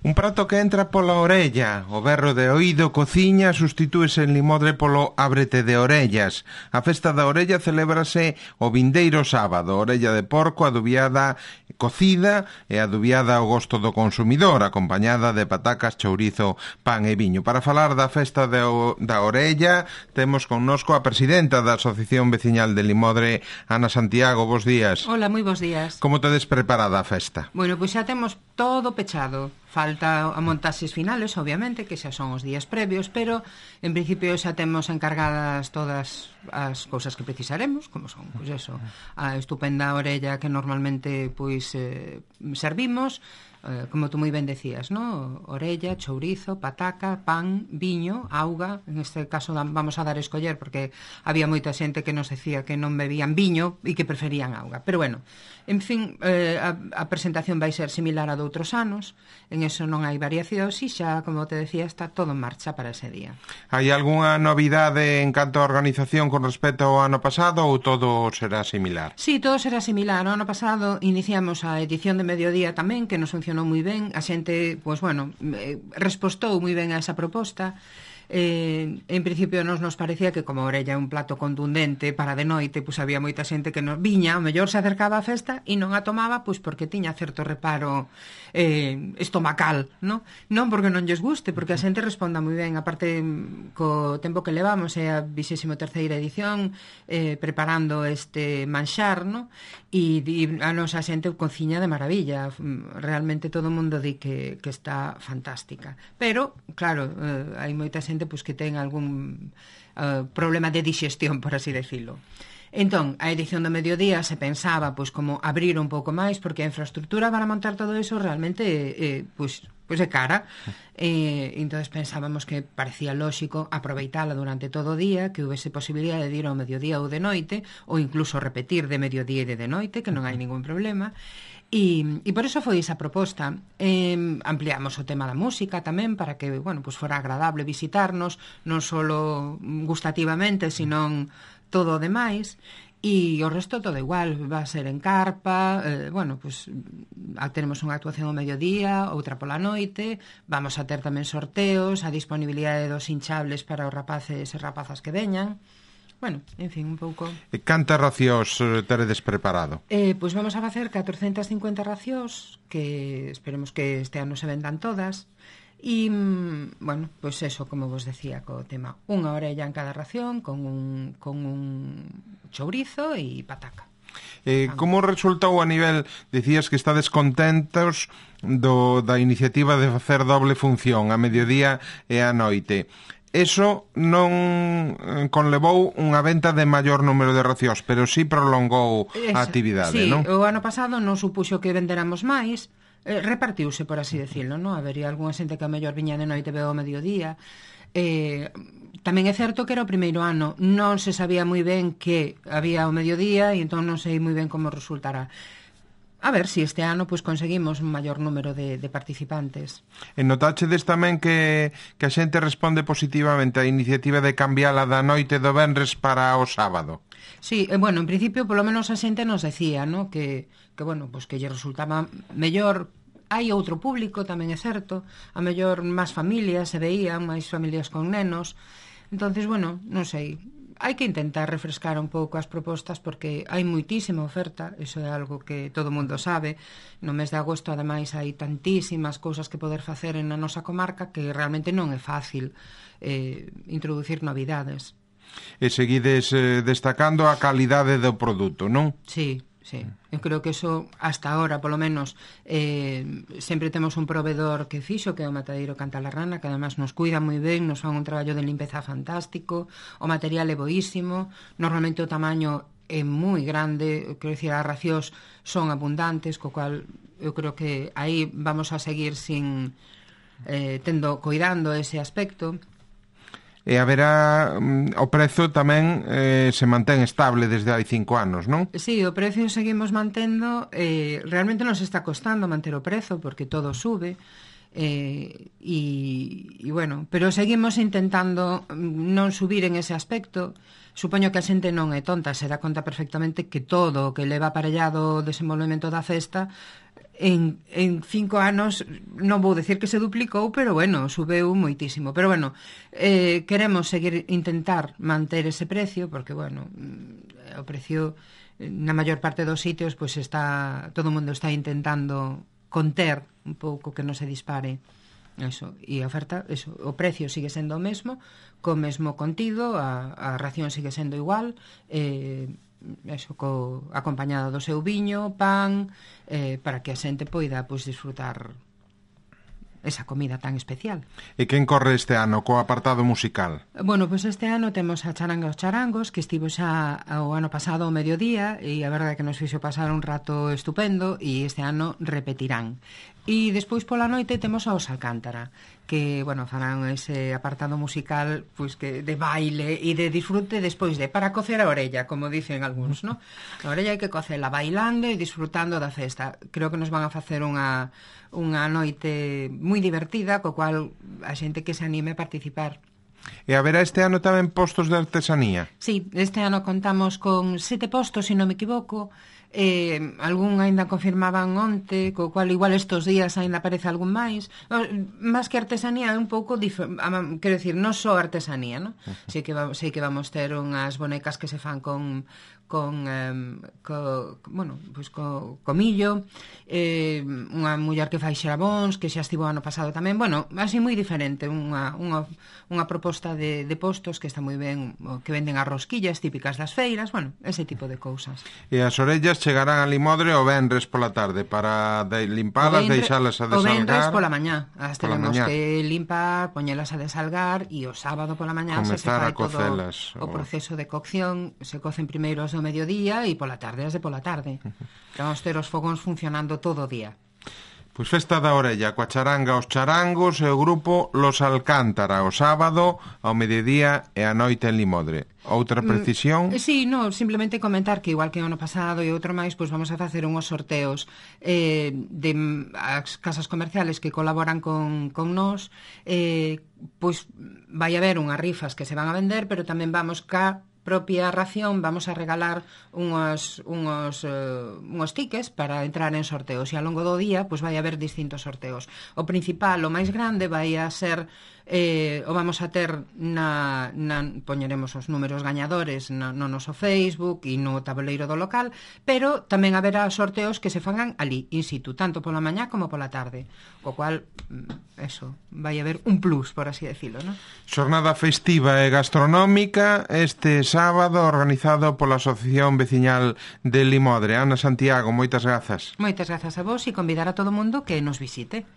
Un prato que entra pola orella, o berro de oído, cociña, sustitúese en Limodre polo ábrete de orellas. A festa da orella celébrase o vindeiro sábado, orella de porco adubiada, cocida e adubiada ao gosto do consumidor, acompañada de patacas, chourizo, pan e viño. Para falar da festa da orella, temos connosco a presidenta da Asociación Veciñal de Limodre, Ana Santiago. Bos días. Hola, moi bos días. Como tedes preparada a festa? Bueno, pois xa temos todo pechado. Falta a montaxes finales, obviamente, que xa son os días previos, pero en principio xa temos encargadas todas as cousas que precisaremos, como son, pois eso, a estupenda orella que normalmente pois servimos, como tú moi ben decías, ¿no? Orella, chourizo, pataca, pan, viño, auga. En este caso vamos a dar a escoller porque había moita xente que nos decía que non bebían viño e que preferían auga. Pero bueno, en fin, a presentación vai ser similar a de outros anos. En eso non hai variación, e xa, como te decía, está todo en marcha para ese día. Hai algunha novidade en canto a organización con respecto ao ano pasado ou todo será similar? Sí, todo será similar. O ano pasado iniciamos a edición de mediodía tamén, que nos funcionou moi ben. A xente, pois bueno, respostou moi ben a esa proposta. En principio nos parecía que como a orella é un plato contundente para de noite, pois había moita xente que nos viña, o mellor se acercaba á festa e non a tomaba pois porque tiña certo reparo estomacal, non porque non lles guste, porque a xente responda moi ben. Aparte, co tempo que levamos, é a 23ª edición preparando este manxar, non? E a nosa xente cociña de maravilla. Realmente todo o mundo di que está fantástica, pero claro, hai moita xente pois que ten algún problema de digestión, por así decirlo. Entón, a edición do mediodía se pensaba pois como abrir un pouco máis, porque a infraestructura para montar todo eso realmente pois é cara. Entonces pensábamos que parecía lóxico aproveitala durante todo o día, que houvese posibilidade de ir ao mediodía ou de noite, ou incluso repetir de mediodía e de noite, que non hai ningún problema. E por eso foi esa proposta. Ampliamos o tema da música tamén para que, bueno, pues fora agradable visitarnos, non solo gustativamente, sino todo o demais. E o resto todo igual, va a ser en carpa, bueno, pues teremos unha actuación ao mediodía, outra pola noite, vamos a ter tamén sorteos, a disponibilidade dos hinchables para os rapaces e rapazas que veñan. Bueno, en fin, un pouco... E cantas racións teredes preparado? Pois vamos a facer 450 racións, que esperemos que este ano se vendan todas. E, bueno, pois eso, como vos decía, co tema unha orella en cada ración, con un chourizo e pataca. Como resultou a nivel, dicías que estades contentos da iniciativa de facer doble función, a mediodía e a noite? Eso non conlevou unha venta de maior número de racións, pero sí prolongou a actividade, non? Sí, o ano pasado non supuxo que venderamos máis, repartiuse, por así decirlo, non? Habería algunha xente que a mellor viña de noite veo ao mediodía. Tamén é certo que era o primeiro ano, non se sabía moi ben que había ao mediodía e entón non sei moi ben como resultará. A ver se este ano pois conseguimos un maior número de participantes. E notáchedes tamén que a xente responde positivamente á iniciativa de cambiala da noite do venres para o sábado? Sí, bueno, en principio polo menos a xente nos decía, ¿no? que bueno, pois que lle resultaba mellor. Hai outro público, tamén é certo, a mellor máis familias se veían, máis familias con nenos. Entonces, bueno, non sei, hai que intentar refrescar un pouco as propostas porque hai moitísima oferta, iso é algo que todo mundo sabe. No mes de agosto, ademais, hai tantísimas cousas que poder facer en a nosa comarca que realmente non é fácil introducir novidades. E seguides destacando a calidade do produto, non? Sí. Sí, eu creo que eso hasta ahora, polo menos, sempre temos un proveedor que fixo, que é o Matadeiro Cantalarrana, que además nos cuida moi ben, nos fan un traballo de limpeza fantástico, o material é boísimo, normalmente o tamaño é moi grande, quero dicir, as racións son abundantes, co cual eu creo que aí vamos a seguir cuidando ese aspecto. E haberá o prezo tamén se mantén estable desde hai 5 anos, non? Sí, o prezo seguimos mantendo. Realmente nos está costando manter o prezo porque todo sube. bueno, pero seguimos intentando non subir en ese aspecto. Supoño que a xente non é tonta, se dá conta perfectamente que todo o que leva aparellado o desenvolvemento da festa en 5 anos, non vou decir que se duplicou, pero bueno, subeu moitísimo. Pero bueno, queremos seguir intentar manter ese precio, porque bueno, o precio na maior parte dos sitios, pois está, todo o mundo está intentando conter un pouco que non se dispare eso, e a oferta, eso, o precio sigue sendo o mesmo, co mesmo contido, a ración sigue sendo igual, eso, acompañada do seu viño, pan, para que a xente poida pois disfrutar esa comida tan especial. E quen corre este ano co apartado musical? Bueno, pois este ano temos a Charanga os Charangos, que estivo xa o ano pasado ao mediodía, e a verdade é que nos fixo pasar un rato estupendo, e este ano repetirán. E despois pola noite temos aos Alcántara, que, bueno, farán ese apartado musical pois que de baile e de disfrute despois de para cocer a orella, como dicen algúns, ¿no? A orella hai que cocela bailando e disfrutando da festa. Creo que nos van a facer unha noite moi divertida, co cual a xente que se anime a participar. E haberá este ano tamén postos de artesanía? Sí, este ano contamos con 7 postos, se non me equivoco. Algún aínda confirmaban onte, co cual igual estos días aínda aparece algún máis. Máis que artesanía é un pouco quero dicir, non só artesanía, ¿no? Sei que vamos ter unhas bonecas que se fan con millo, unha muller que fai xerabóns, que xa estivo ano pasado tamén, bueno, así moi diferente, unha proposta de postos que está moi ben, que venden as rosquillas típicas das feiras, bueno, ese tipo de cousas. E as orellas chegarán a Limodre o venres pola tarde para limpalas, deixalas a desalgar. O venres pola mañá, as tenemos que limpar, poñelas a desalgar, e o sábado pola mañá se fai todo o proceso de cocción, se cocen primeiro as do mediodía e pola tarde as de pola tarde. Vamos ter os fogóns funcionando todo o día. Pois festa da orella, coa charanga os charangos e o grupo Los Alcántara, o sábado ao mediodía e a noite en Limodre. Outra precisión? Sí, no, simplemente comentar que igual que o ano pasado e outro máis, pois vamos a facer unhos sorteos de as casas comerciales que colaboran con nós, pois vai haber unhas rifas que se van a vender, pero tamén vamos propia ración, vamos a regalar unhos tickets para entrar en sorteos, e ao longo do día pois vai haber distintos sorteos. O principal, o máis grande, vai a ser o vamos a ter poñeremos os números gañadores no noso Facebook e no tabuleiro do local, pero tamén haberá sorteos que se fagan ali, in situ, tanto pola mañá como pola tarde, o cual eso, vai haber un plus, por así decirlo, ¿no? Xornada festiva e gastronómica este sábado, organizado pola Asociación Veciñal de Limodre. Ana Santiago, moitas grazas. Moitas grazas a vos, e convidar a todo o mundo que nos visite.